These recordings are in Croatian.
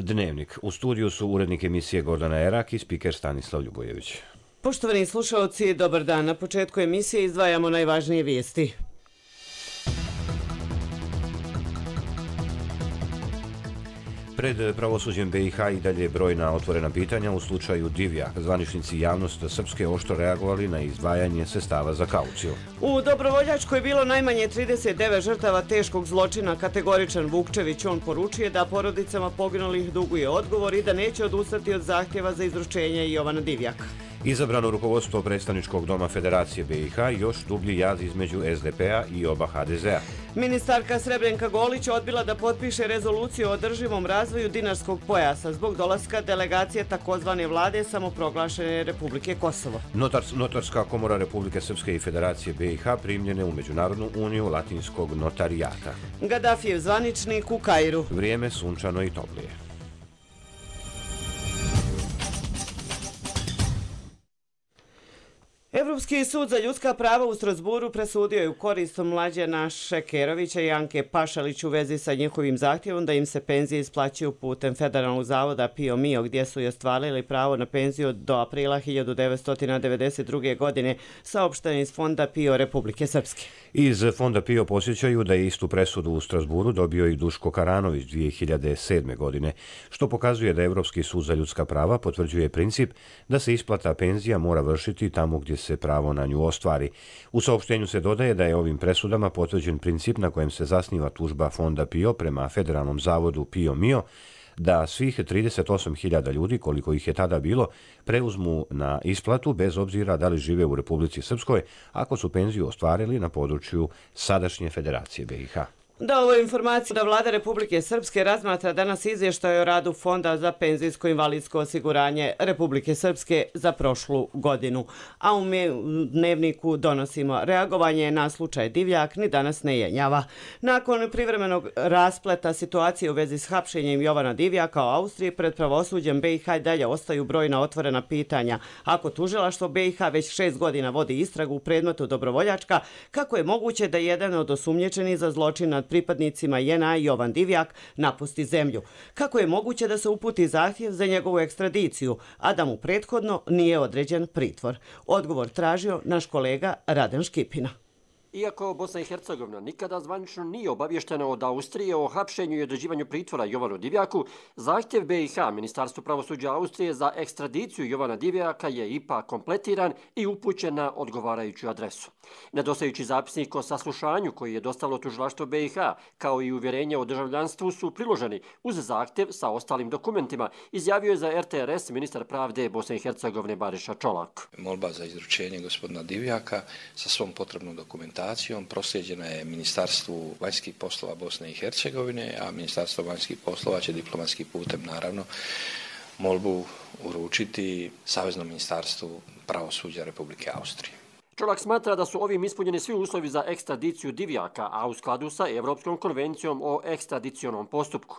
Dnevnik. U studiju su urednik emisije Gordana Erak i spiker Stanislav Ljubojević. Poštovani slušalci, dobar dan. Na početku emisije izdvajamo najvažnije vijesti. Pred pravosuđem BiH i dalje brojna otvorena pitanja u slučaju Divjak. Zvaničnici javnost Srpske oštro reagovali na izdvajanje sredstava za kauciju. U Dobrovoljačkoj je bilo najmanje 39 žrtava teškog zločina. Kategoričan Vukčević, on poručuje da porodicama poginulih duguje odgovor i da neće odustati od zahtjeva za izručenje Jovana Divjaka. Izabrano rukovodstvo predstavničkog doma Federacije BiH, još dublji jaz između SDP-a i oba HDZ-a. Ministarka Srebrenka Golić odbila da potpiše rezoluciju o održivom razvoju Dinarskog pojasa zbog dolaska delegacije takozvane vlade samoproglašene Republike Kosovo. Notarska komora Republike Srpske i Federacije BiH primljene u Međunarodnu uniju latinskog notarijata. Gadafijev zvaničnik u Kairu. Vrijeme sunčano i toplije. Evropski sud za ljudska prava u Strasburu presudio je u korist Mlađana Šekerovića i Anke Pašalić u vezi sa njihovim zahtjevom da im se penzije isplaćuju putem Federalnog zavoda PIO MIO, gdje su i ostvarili pravo na penziju do aprila 1992. godine, saopšteno iz Fonda PIO Republike Srpske. Iz Fonda PIO posjećaju da je istu presudu u Strasburu dobio i Duško Karanović 2007. godine, što pokazuje da Evropski sud za ljudska prava potvrđuje princip da se isplata penzija mora vršiti tamo gdje se pravo na nju ostvari. U saopštenju se dodaje da je ovim presudama potvrđen princip na kojem se zasniva tužba Fonda PIO prema Federalnom zavodu PIO MIO, da svih 38.000 ljudi, koliko ih je tada bilo, preuzmu na isplatu bez obzira da li žive u Republici Srpskoj, ako su penziju ostvarili na području sadašnje Federacije BiH. Da, ovo je informacija da Vlada Republike Srpske razmatra danas izvještaj o radu Fonda za penzijsko invalidsko osiguranje Republike Srpske za prošlu godinu. A u dnevniku donosimo reagovanje na slučaj Divjak ni danas ne jenjava. Nakon privremenog raspleta situacije u vezi s hapšenjem Jovana Divjaka u Austriji, pred pravosuđem BiH dalje ostaju brojna otvorena pitanja. Ako tužilaštvo BiH već 6 godina vodi istragu u predmetu Dobrovoljačka, kako je moguće da jedan od osumnjičenih za zločin nad pripadnicima JNA Jovan Divjak napusti zemlju? Kako je moguće da se uputi zahtjev za njegovu ekstradiciju, a da mu prethodno nije određen pritvor? Odgovor tražio naš kolega Raden Škipina. Iako Bosna i Hercegovina nikada zvanično nije obavještena od Austrije o hapšenju i određivanju pritvora Jovanu Divjaku, zahtjev BiH, Ministarstvo pravosuđa Austrije, za ekstradiciju Jovana Divjaka je ipak kompletiran i upućen na odgovarajuću adresu. Nedostajući zapisnik o saslušanju koji je dostavilo tužilaštvo BiH, kao i uvjerenje o državljanstvu, su priloženi uz zahtjev sa ostalim dokumentima, izjavio je za RTRS ministar pravde Bosne i Hercegovine Bariša Čolak. Molba za izručenje gospodina Divjaka sa svom potrebnom dokumentacijom proslijeđena je Ministarstvu vanjskih poslova Bosne i Hercegovine, a Ministarstvo vanjskih poslova će diplomatskim putem naravno molbu uručiti Saveznom ministarstvu pravosuđa Republike Austrije. Čolak smatra da su ovim ispunjeni svi uslovi za ekstradiciju Divjaka, a u skladu sa Evropskom konvencijom o ekstradicionom postupku.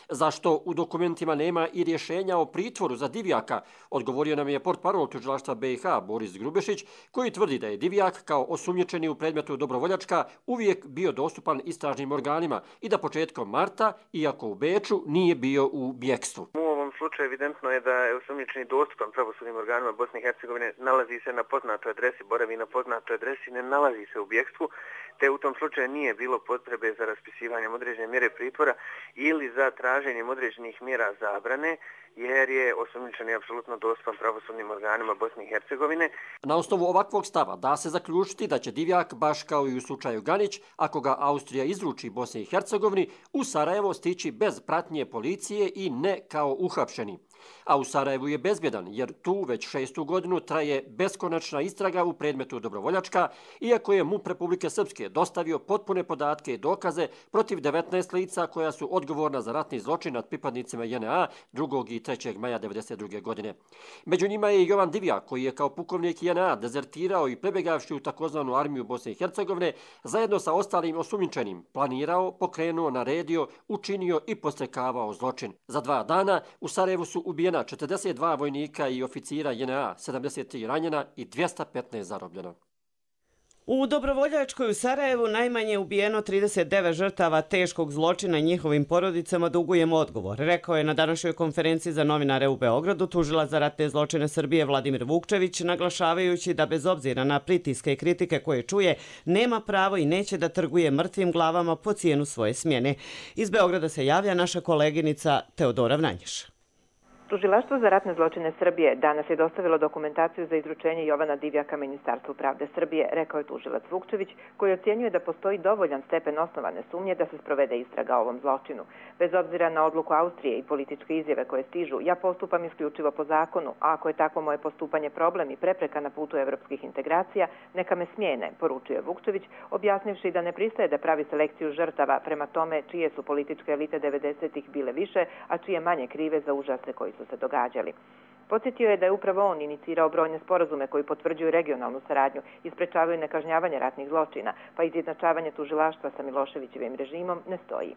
Zašto u dokumentima nema i rješenja o pritvoru za Divjaka, odgovorio nam je portparol tužilaštva BiH Boris Grubešić, koji tvrdi da je Divjak kao osumnjičeni u predmetu Dobrovoljačka uvijek bio dostupan istražnim organima i da početkom marta, iako u Beču, nije bio u bjekstvu. U ovom slučaju evidentno je da je osumnjičeni dostupan pravosudnim organima Bosne i Hercegovine, nalazi se na poznatoj adresi, boravi na poznatoj adresi, ne nalazi se u bjekstvu, te u tom slučaju nije bilo potrebe za raspisivanjem određene mjere pritvora ili za traženjem određenih mjera zabrane, jer je osumnjičeni apsolutno dostupan pravosudnim organima Bosne i Hercegovine. Na osnovu ovakvog stava da se zaključiti da će Divjak, baš kao i u slučaju Ganić, ako ga Austrija izruči Bosni i Hercegovini, u Sarajevo stići bez pratnje policije i ne kao uhapšeni. A u Sarajevu je bezbjedan, jer tu već 6. godinu traje beskonačna istraga u predmetu Dobrovoljačka, iako je MUP Republike Srpske dostavio potpune podatke i dokaze protiv 19 lica koja su odgovorna za ratni zločin nad pripadnicima JNA 2. i 3. maja 1992. godine. Među njima je i Jovan Divjak, koji je kao pukovnik JNA dezertirao i prebegavši u takozvanu armiju Bosne i Hercegovine, zajedno sa ostalim osumnjičenim, planirao, pokrenuo, naredio, učinio i podstrekavao zločin. Za 2 dana u Sarajevu su ubijena 42 vojnika i oficira JNA, 73 ranjena i 215 zarobljena. U Dobrovoljačkoj u Sarajevu najmanje je ubijeno 39 žrtava teškog zločina i njihovim porodicama dugujemo odgovor, rekao je na današnjoj konferenciji za novinare u Beogradu tužilac za ratne zločine Srbije Vladimir Vukčević, naglašavajući da bez obzira na pritiske i kritike koje čuje, nema pravo i neće da trguje mrtvim glavama po cijenu svoje smjene. Iz Beograda se javlja naša koleginica Teodora Vranješ. Tužilaštvo za ratne zločine Srbije danas je dostavilo dokumentaciju za izručenje Jovana Divjaka Ministarstvu pravde Srbije, rekao je tužilac Vukčević, koji ocjenjuje da postoji dovoljan stepen osnovane sumnje da se sprovede istraga o ovom zločinu. Bez obzira na odluku Austrije i političke izjave koje stižu, ja postupam isključivo po zakonu, a ako je tako moje postupanje problem i prepreka na putu evropskih integracija, neka me smijene, poručuje Vukčević, objasnivši da ne pristaje da pravi selekciju žrtava prema tome čije su političke elite 90-ih bile više, a čije manje krive za užase koji su se događali. Podsjetio je da je upravo on inicirao brojne sporazume koji potvrđuju regionalnu saradnju i sprečavaju nekažnjavanje ratnih zločina, pa izjednačavanje tužilaštva sa Miloševićevim režimom ne stoji.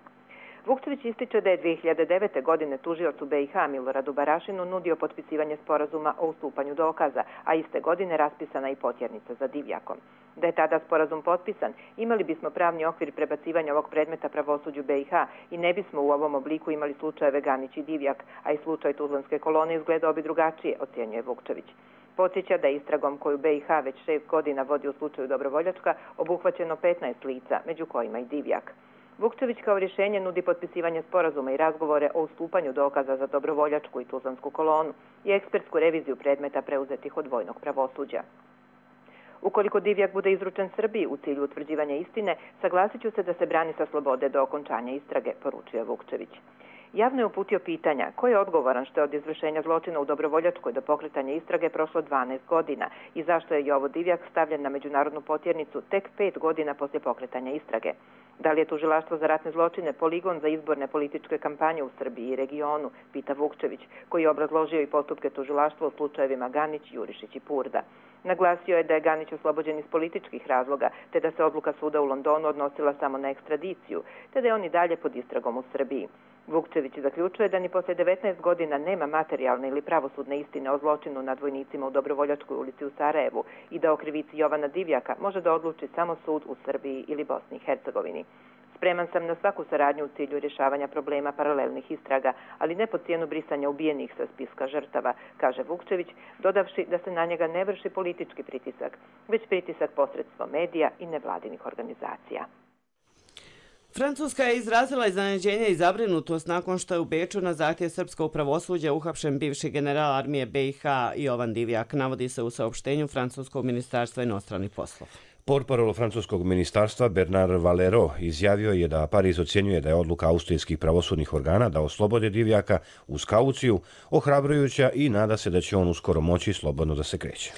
Vukčević ističe da je 2009. godine tužiocu BiH Miloradu Barašinu nudio potpisivanje sporazuma o ustupanju dokaza, a iste godine raspisana i potjernica za Divjakom. Da je tada sporazum potpisan, imali bismo pravni okvir prebacivanja ovog predmeta pravosuđu BiH i ne bismo u ovom obliku imali slučajeve Ganić i Divjak, a i slučaj Tuzlanske kolone izgledao bi drugačije, ocjenjuje Vukčević. Podsjeća da je istragom koju BiH već 6 godina vodi u slučaju Dobrovoljačka obuhvaćeno 15 lica, među kojima i Divjak. Vukčević kao rješenje nudi potpisivanje sporazuma i razgovore o ustupanju dokaza za Dobrovoljačku i Tuzlansku kolonu i ekspertsku reviziju predmeta preuzetih od vojnog pravosuđa. Ukoliko Divjak bude izručen Srbiji u cilju utvrđivanja istine, saglasit ću se da se brani sa slobode do okončanja istrage, poručuje Vukčević. Javno je uputio pitanja ko je odgovoran što je od izvršenja zločina u Dobrovoljačkoj do pokretanja istrage prošlo 12 godina i zašto je Jovo Divjak stavljen na međunarodnu potjernicu tek 5 godina poslije pokretanja istrage. Da li je tužilaštvo za ratne zločine poligon za izborne političke kampanje u Srbiji i regionu, pita Vukčević, koji je obrazložio i postupke tužilaštva u slučajevima Ganić, Jurišić i Purda. Naglasio je da je Ganić oslobođen iz političkih razloga, te da se odluka suda u Londonu odnosila samo na ekstradiciju, te da je on i dalje pod istragom u Srbiji. Vukčević zaključuje da ni poslije 19 godina nema materijalne ili pravosudne istine o zločinu nad vojnicima u Dobrovoljačkoj ulici u Sarajevu i da o krivici Jovana Divjaka može da odluči samo sud u Srbiji ili Bosni i Hercegovini. Spreman sam na svaku saradnju u cilju rješavanja problema paralelnih istraga, ali ne po cijenu brisanja ubijenih sa spiska žrtava, kaže Vukčević, dodavši da se na njega ne vrši politički pritisak, već pritisak posredstvom medija i nevladinih organizacija. Francuska je izrazila iznenađenje i zabrinutost nakon što je u Beču na zahtjev srpskog pravosuđa uhapšen bivši general armije BiH Jovan Divjak, navodi se u saopštenju Francuskog ministarstva inostranih poslova. Portparol francuskog ministarstva Bernard Valero izjavio je da Pariz ocjenjuje da je odluka austrijskih pravosudnih organa da oslobode Divjaka uz kauciju ohrabrujuća i nada se da će on uskoro moći slobodno da se kreće.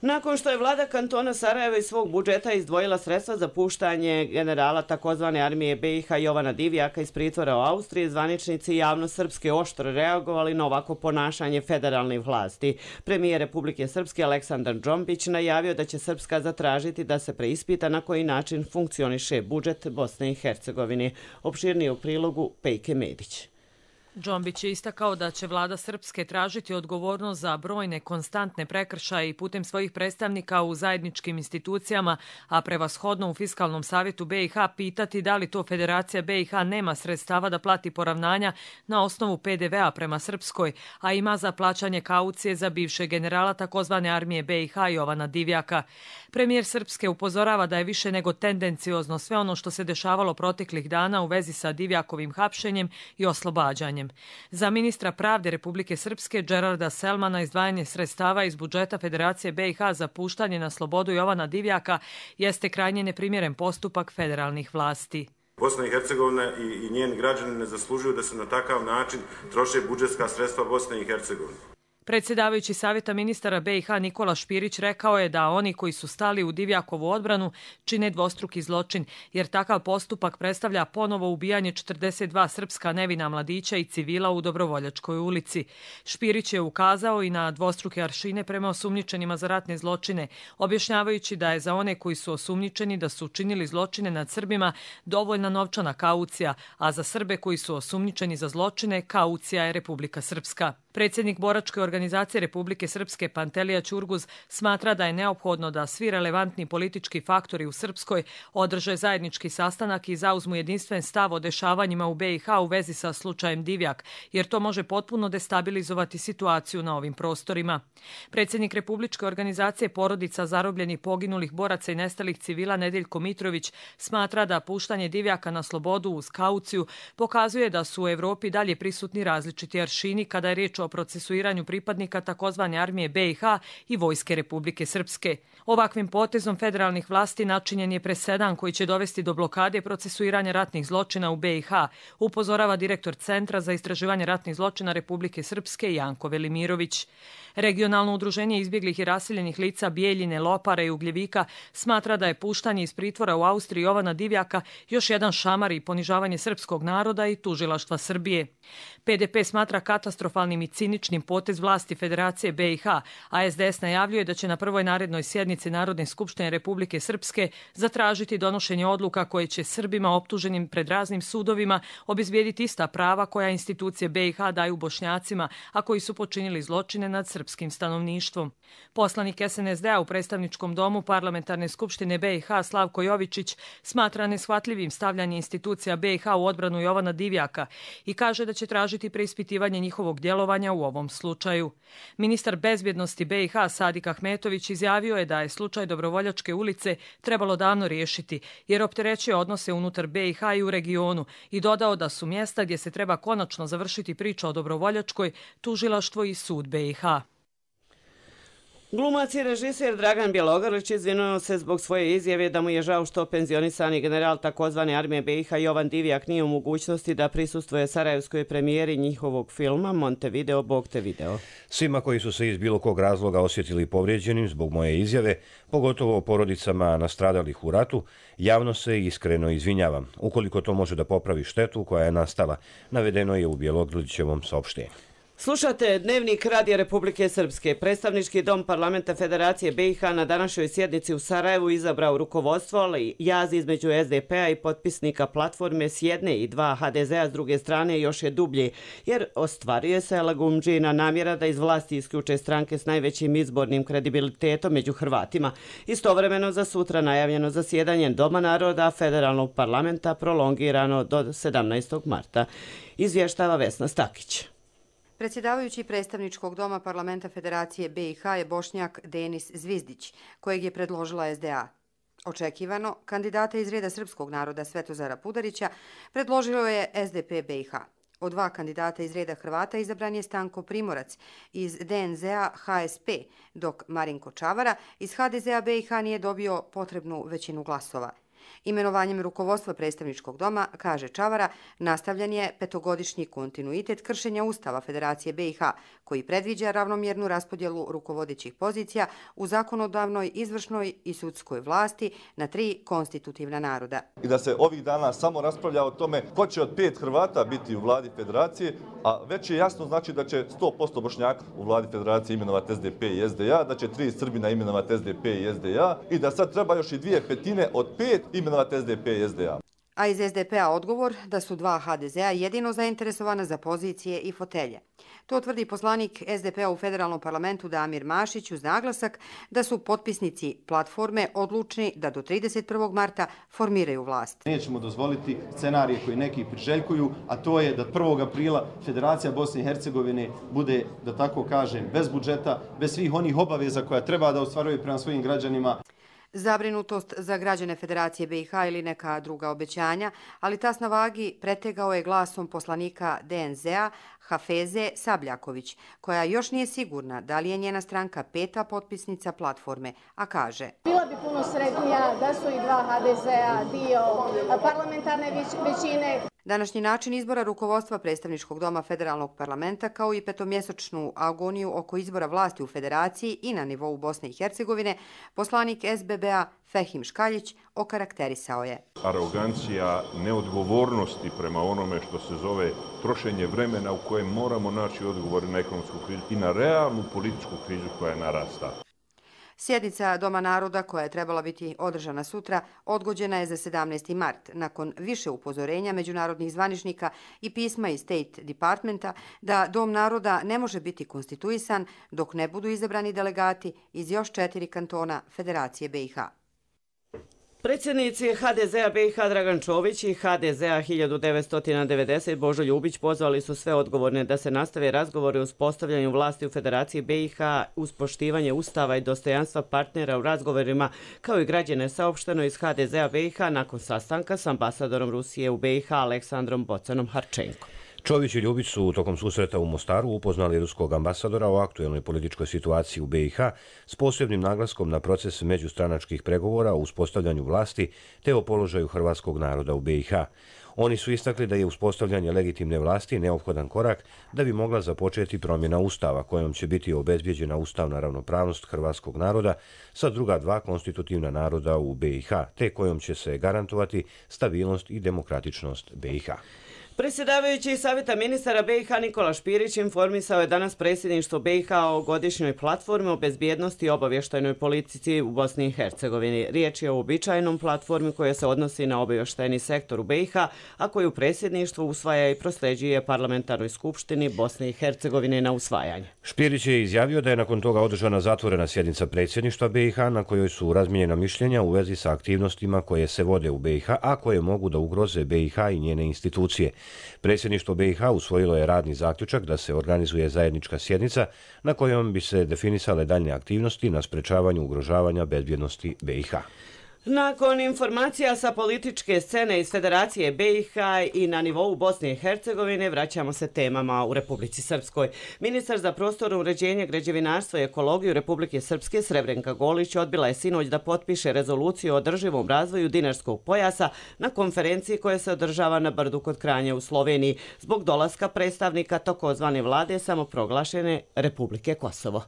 Nakon što je vlada kantona Sarajeva iz svog budžeta izdvojila sredstva za puštanje generala takozvane armije BiH Jovana Divjaka iz pritvora u Austriji, zvaničnici javno srpske oštro reagovali na ovako ponašanje federalnih vlasti. Premijer Republike Srpske Aleksandar Džombić najavio da će Srpska zatražiti da se preispita na koji način funkcioniše budžet Bosne i Hercegovine. Opširnije u prilogu Pejke Medić. Džombić je istakao da će vlada Srpske tražiti odgovornost za brojne konstantne prekršaje i putem svojih predstavnika u zajedničkim institucijama, a prevashodno u Fiskalnom savjetu BiH pitati da li to Federacija BiH nema sredstava da plati poravnanja na osnovu PDV-a prema Srpskoj, a ima za plaćanje kaucije za bivšeg generala takozvane armije BiH Jovana Divjaka. Premijer Srpske upozorava da je više nego tendenciozno sve ono što se dešavalo proteklih dana u vezi sa Divjakovim hapšenjem i oslobađanjem. Za ministra pravde Republike Srpske Gerarda Selmana izdvajanje sredstava iz budžeta Federacije BiH za puštanje na slobodu Jovana Divjaka jeste krajnje neprimjeren postupak federalnih vlasti. Bosna i Hercegovina i njeni građani ne zaslužuju da se na takav način troše budžetska sredstva Bosne i Hercegovine. Predsjedavajući savjeta ministara BiH Nikola Špirić rekao je da oni koji su stali u Divjakovu odbranu čine dvostruki zločin, jer takav postupak predstavlja ponovo ubijanje 42 srpska nevina mladića i civila u Dobrovoljačkoj ulici. Špirić je ukazao i na dvostruke aršine prema osumnjičenima za ratne zločine, objašnjavajući da je za one koji su osumnjičeni da su učinili zločine nad Srbima dovoljna novčana kaucija, a za Srbe koji su osumnjičeni za zločine kaucija je Republika Srpska. Predsjednik boračke organizacije Republike Srpske Pantelija Ćurguz smatra da je neophodno da svi relevantni politički faktori u Srpskoj održe zajednički sastanak i zauzmu jedinstven stav o dešavanjima u BiH u vezi sa slučajem Divjak, jer to može potpuno destabilizovati situaciju na ovim prostorima. Predsjednik Republičke organizacije porodica zarobljenih, poginulih boraca i nestalih civila Nedeljko Mitrović smatra da puštanje Divjaka na slobodu uz kauciju pokazuje da su u Evropi dalje prisutni različiti aršini kada je riječ o procesuiranju pripadnika takozvane armije BiH i Vojske Republike Srpske. Ovakvim potezom federalnih vlasti načinjen je presedan koji će dovesti do blokade procesuiranja ratnih zločina u BiH, upozorava direktor Centra za istraživanje ratnih zločina Republike Srpske Janko Velimirović. Regionalno udruženje izbjeglih i raseljenih lica Bijeljine, Lopara i Ugljevika smatra da je puštanje iz pritvora u Austriji Jovana Divjaka još jedan šamar i ponižavanje srpskog naroda i tužilaštva Srbije. PDP smatra katastrofalnim i ciničnim potez vlasti Federacije BiH, a SDS najavljuje da će na prvoj narednoj sjednici Narodne skupštine Republike Srpske zatražiti donošenje odluka koje će Srbima optuženim pred raznim sudovima obezbijediti ista prava koja institucije BiH daju Bošnjacima, a koji su počinili zločine nad srpskim stanovništvom. Poslanik SNSD-a u predstavničkom domu Parlamentarne skupštine BiH Slavko Jovičić smatra neshvatljivim stavljanje institucija BiH u odbranu Jovana Divjaka i kaže da će tražiti preispitivanje njihovog djelovanja u ovom slučaju. Ministar bezbjednosti BiH Sadik Ahmetović izjavio je da je slučaj Dobrovoljačke ulice trebalo davno riješiti jer opterećuje odnose unutar BiH i u regionu i dodao da su mjesta gdje se treba konačno završiti priča o Dobrovoljačkoj tužilaštvo i sud BiH. Glumac i režiser Dragan Bjelogrlić izvinuo se zbog svoje izjave da mu je žao što penzionisani general takozvane armije BiH Jovan Divjak nije u mogućnosti da prisustvuje sarajevskoj premijeri njihovog filma Montevideo, Bog te video. Svima koji su se iz bilo kog razloga osjetili povrijeđenim zbog moje izjave, pogotovo porodicama nastradalih u ratu, javno se iskreno izvinjavam, ukoliko to može da popravi štetu koja je nastala, navedeno je u Bjelogrlićevom saopštenju. Slušate Dnevnik Radija Republike Srpske. Predstavnički dom Parlamenta Federacije BiH na današnjoj sjednici u Sarajevu izabrao rukovodstvo, ali jaz između SDP-a i potpisnika platforme s jedne i dva HDZ-a s druge strane još je dublji, jer ostvaruje se lagumdžina namjera da iz vlasti isključe stranke s najvećim izbornim kredibilitetom među Hrvatima. Istovremeno za sutra najavljeno zasjedanje Doma naroda Federalnog parlamenta prolongirano do 17. marta. Izvještava Vesna Stakić. Predsjedavajući predstavničkog doma Parlamenta Federacije BiH je Bošnjak Denis Zvizdić, kojeg je predložila SDA. Očekivano, kandidata iz reda srpskog naroda Svetozara Pudarića predložilo je SDP BiH. Od dva kandidata iz reda Hrvata izabran je Stanko Primorac iz DNZ-a HSP, dok Marinko Čavara iz HDZ-a BiH nije dobio potrebnu većinu glasova. Imenovanjem rukovodstva predstavničkog doma, kaže Čavara, nastavljen je petogodišnji kontinuitet kršenja Ustava Federacije BiH, koji predviđa ravnomjernu raspodjelu rukovodećih pozicija u zakonodavnoj, izvršnoj i sudskoj vlasti na 3 konstitutivna naroda. I da se ovih dana samo raspravlja o tome ko će od 5 Hrvata biti u vladi Federacije, a već je jasno znači da će 100% Bošnjaka u vladi Federacije imenovati SDP i SDA, da će 3 Srbina imenovati SDP i SDA i da sad treba još i 2/5 od 5 imenovati SDP i SDA. A iz SDP-a odgovor da su dva HDZ-a jedino zainteresovana za pozicije i fotelje. To tvrdi poslanik SDP-a u federalnom parlamentu Damir Mašić uz naglasak da su potpisnici platforme odlučni da do 31. marta formiraju vlast. Nećemo dozvoliti scenarije koji neki priželjkuju, a to je da 1. aprila Federacija Bosne i Hercegovine bude, da tako kažem, bez budžeta, bez svih onih obaveza koja treba da ostvaruje prema svojim građanima. Zabrinutost za građane Federacije BiH ili neka druga obećanja, ali tas na vagi pretegao je glasom poslanika DNZ-a Hafeze Sabljaković, koja još nije sigurna da li je njena stranka 5. potpisnica platforme, a kaže: Bila bi puno sretnija da su i dva HDZ-a dio parlamentarne većine. Današnji način izbora rukovodstva predstavničkog doma federalnog parlamenta kao i petomjesečnu agoniju oko izbora vlasti u Federaciji i na nivou Bosne i Hercegovine, poslanik SBB-a Fehim Škaljić okarakterisao je. Arogancija neodgovornosti prema onome što se zove trošenje vremena u kojem moramo naći odgovor na ekonomsku krizu i na realnu političku krizu koja je narasta. Sjednica Doma naroda, koja je trebala biti održana sutra, odgođena je za 17. mart, nakon više upozorenja međunarodnih zvaničnika i pisma iz State Departmenta da Dom naroda ne može biti konstituisan dok ne budu izabrani delegati iz još 4 kantona Federacije BiH. Predsjednici HDZ-a BiH Dragan Čović i HDZ-a 1990 Božo Ljubić pozvali su sve odgovorne da se nastave razgovori o uspostavljanju vlasti u Federaciji BiH uz poštivanje ustava i dostojanstva partnera u razgovorima, kao i građane, saopšteno iz HDZ-a BiH nakon sastanka s ambasadorom Rusije u BiH Aleksandrom Bocanom Harčenkom. Čović i Ljubić su tokom susreta u Mostaru upoznali ruskog ambasadora o aktuelnoj političkoj situaciji u BiH s posebnim naglaskom na proces međustranačkih pregovora o uspostavljanju vlasti te o položaju hrvatskog naroda u BiH. Oni su istakli da je uspostavljanje legitimne vlasti neophodan korak da bi mogla započeti promjena ustava kojom će biti obezbijeđena ustavna ravnopravnost hrvatskog naroda sa druga dva konstitutivna naroda u BiH, te kojom će se garantovati stabilnost i demokratičnost BiH. Predsjedavajući Savjeta ministara BiH Nikola Špirić informisao je danas predsjedništvo BiH o godišnjoj platformi o bezbjednosti i obavještajnoj politici u Bosni i Hercegovini. Riječ je o uobičajenom platformi koja se odnosi na obavještajni sektor u BiH, a koju predsjedništvo usvaja i prosljeđuje Parlamentarnoj skupštini Bosne i Hercegovine na usvajanje. Špirić je izjavio da je nakon toga održana zatvorena sjednica predsjedništva BiH na kojoj su razmijenjena mišljenja u vezi sa aktivnostima koje se vode u BiH, a koje mogu da ugroze BiH i njene institucije. Predsjedništvo BiH usvojilo je radni zaključak da se organizuje zajednička sjednica na kojom bi se definisale daljne aktivnosti na sprečavanju ugrožavanja bezbjednosti BiH. Nakon informacija sa političke scene iz Federacije BiH i na nivou Bosne i Hercegovine vraćamo se temama u Republici Srpskoj. Ministar za prostorno uređenje, građevinarstvo i ekologiju Republike Srpske Srebrenka Golić odbila je sinoć da potpiše rezoluciju o održivom razvoju dinarskog pojasa na konferenciji koja se održava na Brdu kod Kranja u Sloveniji zbog dolaska predstavnika takozvane vlade samoproglašene Republike Kosovo.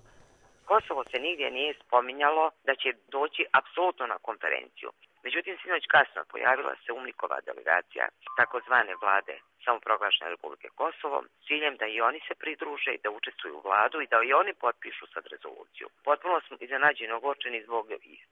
Kosovo se nigdje nije spominjalo da će doći apsolutno na konferenciju. Međutim, sinoć kasno pojavila se UMNIK-ova delegacija takozvane vlade samoproglašene Republike Kosovo s ciljem da i oni se pridruže i da učestvuju u vladu i da i oni potpišu sad rezoluciju. Potpuno smo iznenađeni ogorčeni zbog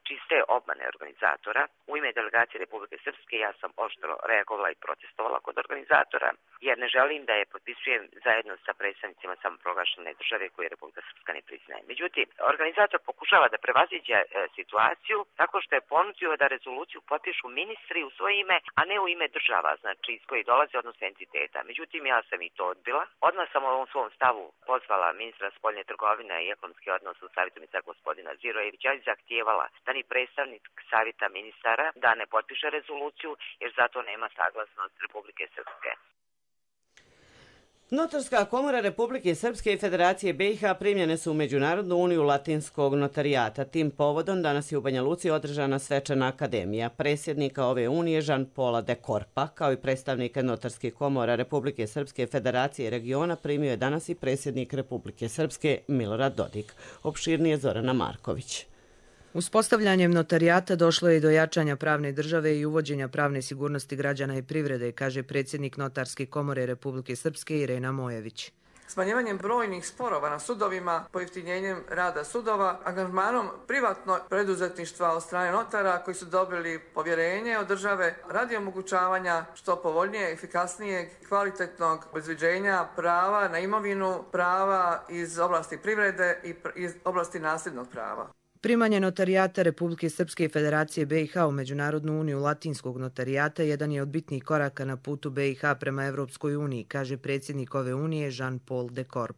čiste obmane organizatora. U ime delegacije Republike Srpske ja sam oštro reagovala i protestovala kod organizatora, jer ne želim da je potpisujem zajedno sa predstavnicima samoproglašene države koje Republika Srpska ne priznaje. Međutim, organizator pokušava da prevaziđe situaciju tako što je ponudio da rezoluciju potpišu ministri u svoje ime, a ne u ime država, znači iz koje dolaze, odnosno entiteta. Međutim, ja sam i to odbila. Odmah sam u ovom svom stavu pozvala ministra spoljne trgovine i ekonomske odnose u Savjetu ministara gospodina Zirojevića i zahtijevala da ni predstavnik Savjeta ministara da ne potpiše rezoluciju, jer zato nema saglasnost Republike Srpske. Notarska komora Republike Srpske i Federacije BiH primljene su u Međunarodnu uniju latinskog notarijata. Tim povodom danas je u Banja Luci održana svečana akademija. Predsjednika ove unije Jean-Paula de Korpa, kao i predstavnike notarskih komora Republike Srpske, Federacije i regiona, primio je danas i predsjednik Republike Srpske Milorad Dodik. Opširnije Zorana Marković. Uspostavljanjem notarijata došlo je i do jačanja pravne države i uvođenja pravne sigurnosti građana i privrede, kaže predsjednik Notarske komore Republike Srpske Irena Mojević. Smanjivanjem brojnih sporova na sudovima, pojeftinjenjem rada sudova, angažmanom privatnog preduzetništva od strane notara koji su dobili povjerenje od države radi omogućavanja što povoljnije, efikasnijeg, kvalitetnog obezbeđenja prava na imovinu, prava iz oblasti privrede i iz oblasti nasljednog prava. Primanje notarijata Republike Srpske i Federacije BiH u Međunarodnu uniju latinskog notarijata jedan je od bitnih koraka na putu BiH prema Evropskoj uniji, kaže predsjednik ove unije Jean-Paul de Korp.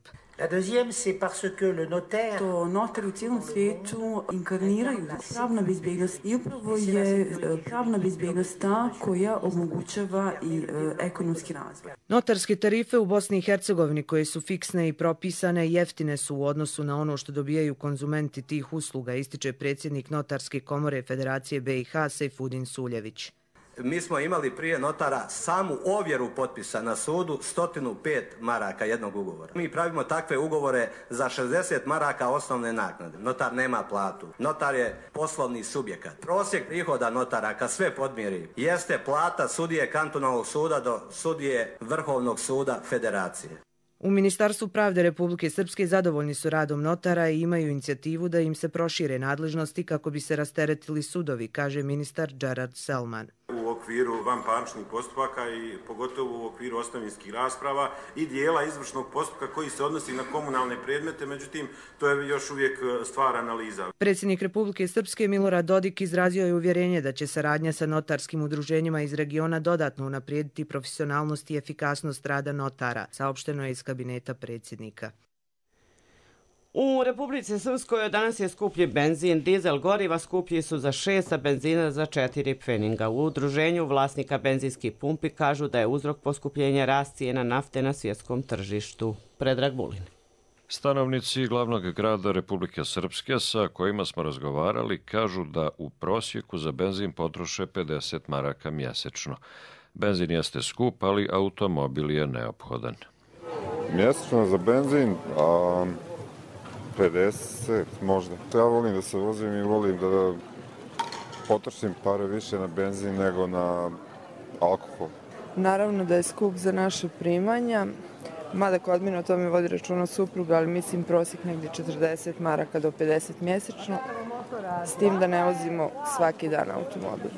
To notari u cijelom svijetu inkarniraju pravna bezbjednost i upravo je pravna bezbjednost ta koja omogućava i ekonomski razvoj. Notarske tarife u Bosni i Hercegovini koje su fiksne i propisane jeftine su u odnosu na ono što dobijaju konzumenti tih usluga, ističe predsjednik Notarske komore Federacije BiH Sejfudin Suljević. Mi smo imali prije notara samu ovjeru potpisa na sudu 105 maraka jednog ugovora. Mi pravimo takve ugovore za 60 maraka osnovne naknade. Notar nema platu. Notar je poslovni subjekat. Prosjek prihoda notara, kad sve podmiri, jeste plata sudije kantonalnog suda do sudije Vrhovnog suda Federacije. U Ministarstvu pravde Republike Srpske zadovoljni su radom notara i imaju inicijativu da im se prošire nadležnosti kako bi se rasteretili sudovi, kaže ministar Gerard Selman. U okviru vanparničnih postupaka i pogotovo u okviru ostavinskih rasprava i dijela izvršnog postupka koji se odnosi na komunalne predmete, međutim to je još uvijek stvar analiza. Predsjednik Republike Srpske Milorad Dodik izrazio je uvjerenje da će saradnja sa notarskim udruženjima iz regiona dodatno unaprijediti profesionalnost i efikasnost rada notara, saopšteno je iz kabineta predsjednika. U Republici Srpskoj danas je skuplji benzin, dizel goriva skuplji su za 6, a benzina za 4 pfeninga. U udruženju vlasnika benzinskih pumpi kažu da je uzrok poskupljenja rast cijena nafte na svjetskom tržištu. Predrag Vulin. Stanovnici glavnog grada Republike Srpske sa kojima smo razgovarali kažu da u prosjeku za benzin potroše 50 maraka mjesečno. Benzin jeste skup, ali automobil je neophodan. Mjesečno za benzin 50 možda. Ja volim da se vozim i volim da potrošim pare više na benzin nego na alkohol. Naravno da je skup za naše primanja, mada kod mene o tome vodi računa supruga, ali mislim prosjek negdje 40 maraka do 50 mjesečno, s tim da ne vozimo svaki dan automobil.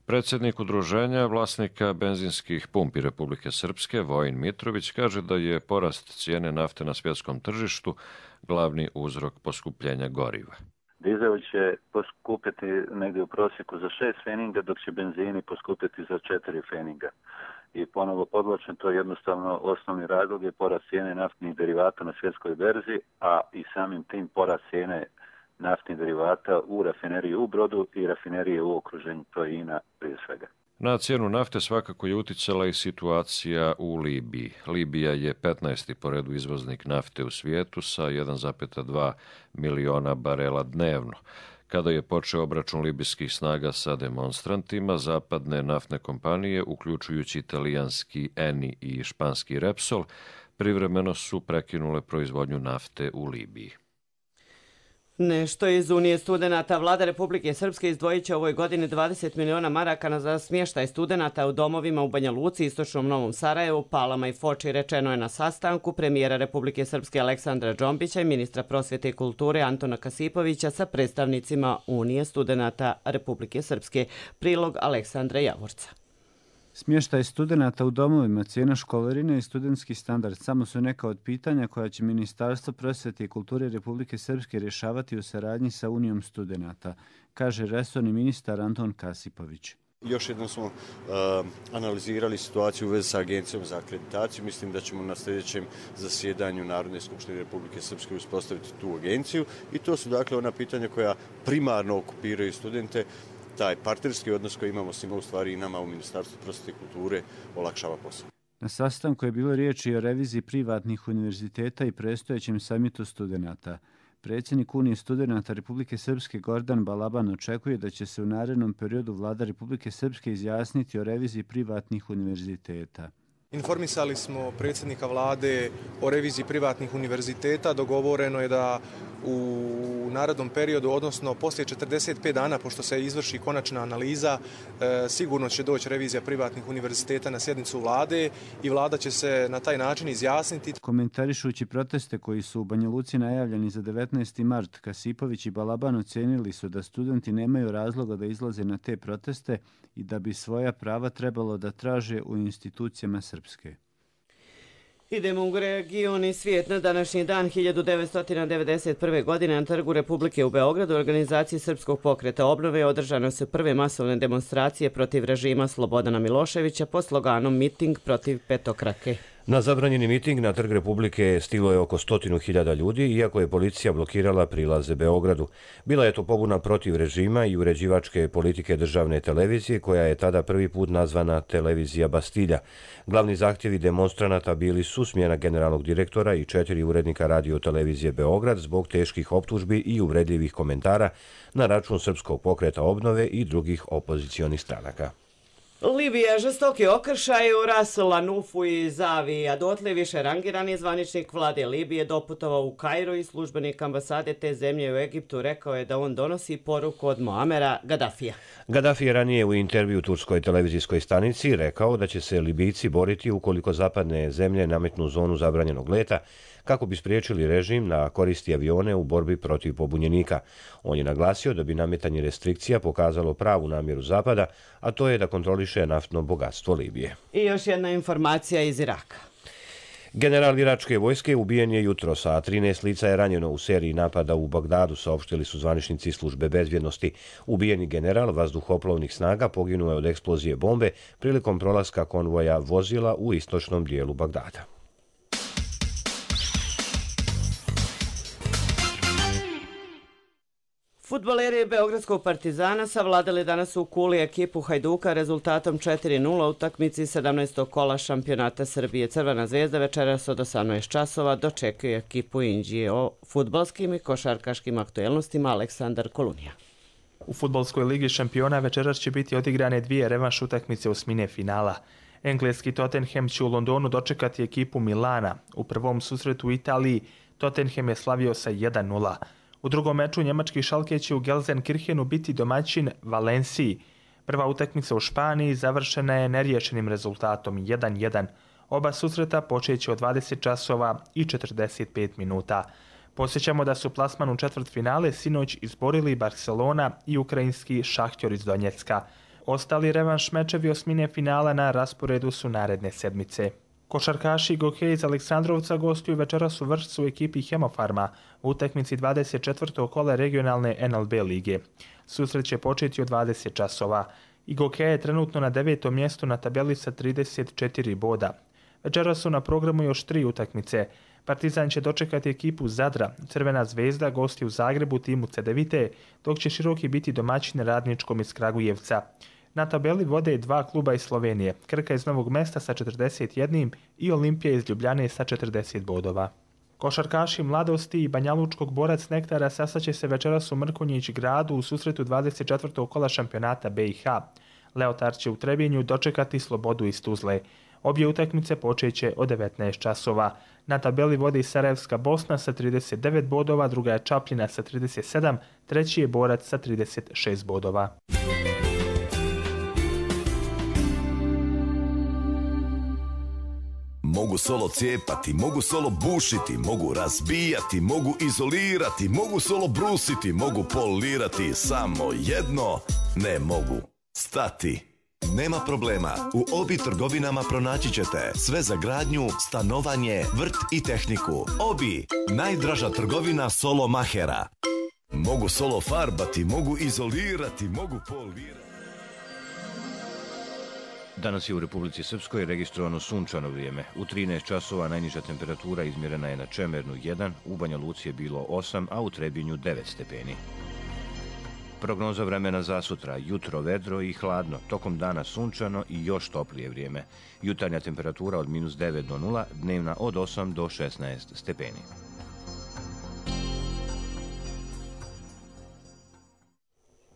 Predsjednik udruženja vlasnika benzinskih pumpi Republike Srpske, Vojin Mitrović, kaže da je porast cijene nafte na svjetskom tržištu glavni uzrok poskupljenja goriva. Dizel će poskupiti negdje u prosjeku za 6 pfeninga, dok će benzini poskupiti za 4 pfeninga. I ponovo podvlačim, to je jednostavno osnovni razlog je porast cijene naftnih derivata na svjetskoj berzi, a i samim tim porast cijene naftnih derivata u rafineriji u Brodu i rafinerije u okruženju, to je INA prije svega. Na cijenu nafte svakako je uticala i situacija u Libiji. Libija je 15. po redu izvoznik nafte u svijetu sa 1,2 miliona barela dnevno. Kada je počeo obračun libijskih snaga sa demonstrantima, zapadne naftne kompanije, uključujući italijanski Eni i španski Repsol, privremeno su prekinule proizvodnju nafte u Libiji. Nešto iz Unije studenata. Vlada Republike Srpske izdvojit će ovoj godini 20 miliona maraka za smještaj studenata u domovima u Banja Luci, Istočnom Novom Sarajevu, Palama i Foči, rečeno je na sastanku premijera Republike Srpske Aleksandra Džombića i ministra prosvjete i kulture Antona Kasipovića sa predstavnicima Unije studenata Republike Srpske. Prilog Aleksandra Javorca. Smještaj studenata u domovima, cijena školarine i studentski standard samo su neka od pitanja koja će Ministarstvo prosvjete i kulture Republike Srpske rješavati u saradnji sa Unijom studenata, kaže resorni ministar Anton Kasipović. Još jednom smo analizirali situaciju u vezi sa Agencijom za akreditaciju. Mislim da ćemo na sljedećem zasjedanju Narodne skupštine Republike Srpske uspostaviti tu agenciju i to su dakle ona pitanja koja primarno okupiraju studente. Taj partnerski odnos koji imamo s njima u stvari i nama u Ministarstvu prosvjete i kulture olakšava posao. Na sastanku je bilo riječi o reviziji privatnih univerziteta i predstojećem samitu studenata. Predsjednik Unije studenata Republike Srpske Gordan Balaban očekuje da će se u narednom periodu Vlada Republike Srpske izjasniti o reviziji privatnih univerziteta. Informisali smo predsjednika vlade o reviziji privatnih univerziteta. Dogovoreno je da u narednom periodu, odnosno poslije 45 dana, pošto se izvrši konačna analiza, sigurno će doći revizija privatnih univerziteta na sjednicu vlade i vlada će se na taj način izjasniti. Komentarišući proteste koji su u Banja Luci najavljeni za 19. mart, Kasipović i Balaban ocenili su da studenti nemaju razloga da izlaze na te proteste i da bi svoja prava trebalo da traže u institucijama Srpske. Idemo u region i svijet. Na današnji dan 1991. godine na Trgu Republike u Beogradu organizaciji Srpskog pokreta obnove održane su prve masovne demonstracije protiv režima Slobodana Miloševića pod sloganom Miting protiv petokrake. Na zabranjeni miting na Trg Republike stiglo je oko 100.000 ljudi, iako je policija blokirala prilaze Beogradu. Bila je to pobuna protiv režima i uređivačke politike državne televizije, koja je tada prvi put nazvana Televizija Bastilja. Glavni zahtjevi demonstranata bili su smjena generalnog direktora i 4 urednika radio televizije Beograd zbog teških optužbi i uvredljivih komentara na račun Srpskog pokreta obnove i drugih opozicionih stranaka. Libija žestoki okršaj u Ras Lanufu i Zavi, a dotle više rangirani zvaničnik vlade Libije doputovao u Kairu i službenik ambasade te zemlje u Egiptu rekao je da on donosi poruku od Muamera Gaddafija. Gaddafi je ranije u intervju turskoj televizijskoj stanici rekao da će se Libijci boriti ukoliko zapadne zemlje nametnu zonu zabranjenog leta kako bi spriječili režim da koristi avione u borbi protiv pobunjenika. On je naglasio da bi nametanje restrikcija pokazalo pravu namjeru Zapada, a to je da kontroliše naftno bogatstvo Libije. I još jedna informacija iz Iraka. General iračke vojske ubijen je jutros, a 13 lica je ranjeno u seriji napada u Bagdadu, saopštili su zvaničnici službe bezbjednosti. Ubijeni general vazduhoplovnih snaga poginuo je od eksplozije bombe prilikom prolaska konvoja vozila u istočnom dijelu Bagdada. Fudbaleri Beogradskog Partizana savladali danas u Kuli ekipu Hajduka rezultatom 4:0 u utakmici 17. kola šampionata Srbije. Crvena zvezda večeras od 18 časova dočekuje ekipu Inđije. O fudbalskim i košarkaškim aktuelnostima Aleksandar Kolunija. U fudbalskoj ligi šampiona večeras će biti odigrane 2 revanš utakmice osmine finala. Engleski Tottenham će u Londonu dočekati ekipu Milana. U prvom susretu u Italiji Tottenham je slavio sa 1:0. U drugom meču njemački Schalke će u Gelsenkirchenu biti domaćin Valenciji. Prva utakmica u Španiji završena je neriješenim rezultatom 1:1. Oba susreta počeće od 20 časova i 45 minuta. Podsjećamo da su plasman u četvrtfinale sinoć izborili Barcelona i ukrajinski Šahtjor iz Donjecka. Ostali revanš mečevi osmine finala na rasporedu su naredne sedmice. Košarkaši Gokej iz Aleksandrovca gostuju večeras u Vršcu u ekipi Hemofarma u utakmici 24. kola regionalne NLB lige. Susret će početi od 20 časova. I Gokej je trenutno na 9. mjestu na tabeli sa 34 boda. Večeras su na programu još 3 utakmice. Partizan će dočekati ekipu Zadra, Crvena zvezda gosti u Zagrebu timu Cedevite, dok će Široki biti domaćin Radničkom iz Kragujevca. Na tabeli vode 2 kluba iz Slovenije, Krka iz Novog Mesta sa 41 i Olimpija iz Ljubljane sa 40 bodova. Košarkaši Mladosti i Banjalučkog Borac Nektara sastaće se večeras u Mrkonjić gradu u susretu 24. kola šampionata BiH. Leotar će u Trebinju dočekati Slobodu iz Tuzle. Obje utakmice počeće od 19 časova. Na tabeli vodi Sarajevska Bosna sa 39 bodova, druga je Čapljina sa 37, treći je Borac sa 36 bodova. Mogu solo cijepati, mogu solo bušiti, mogu razbijati, mogu izolirati, mogu solo brusiti, mogu polirati, samo jedno ne mogu stati. Nema problema, u Obi trgovinama pronaći ćete sve za gradnju, stanovanje, vrt i tehniku. Obi, najdraža trgovina solo mahera. Mogu solo farbati, mogu izolirati, mogu polirati. Danas je u Republici Srpskoj registrovano sunčano vrijeme. U 13 časova najniža temperatura izmjerena je na Čemernu 1, u Banja Luci je bilo 8, a u Trebinju 9 stepeni. Prognoza vremena za sutra, jutro vedro i hladno, tokom dana sunčano i još toplije vrijeme. Jutarnja temperatura od -9 do 0, dnevna od 8 do 16 stepeni.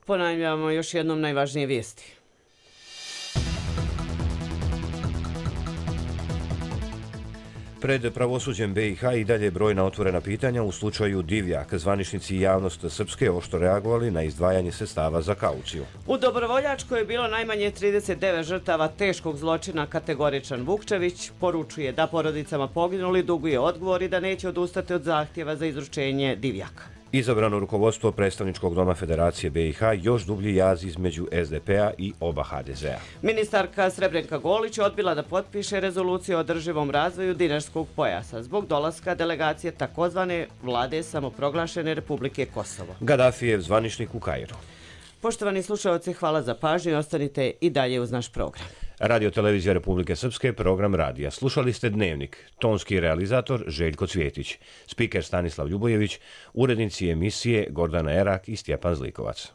Ponavljamo još jednom najvažnije vijesti. Pred pravosuđem BiH i dalje brojna otvorena pitanja u slučaju Divjak. Zvaničnici i javnost Srpske oštro reagovali na izdvajanje sredstava za kauciju. U Dobrovoljačkoj je bilo najmanje 39 žrtava teškog zločina. Kategoričan Vukčević poručuje da porodicama poginuli duguje odgovor i da neće odustati od zahtjeva za izručenje Divjaka. Izabrano rukovodstvo predstavničkog doma Federacije BiH još dublji jaz između SDP-a i oba HDZ-a. Ministarka Srebrenka Golić odbila da potpiše rezoluciju o održivom razvoju Dinarskog pojasa zbog dolaska delegacije takozvane vlade samoproglašene Republike Kosovo. Gaddafijev zvaničnik u Kairu. Poštovani slušalci, hvala za pažnju i ostanite i dalje uz naš program. Radio Televizija Republike Srpske, program radija. Slušali ste Dnevnik, tonski realizator Željko Cvjetić, spiker Stanislav Ljubojević, urednici emisije Gordana Erak i Stjepan Zlikovac.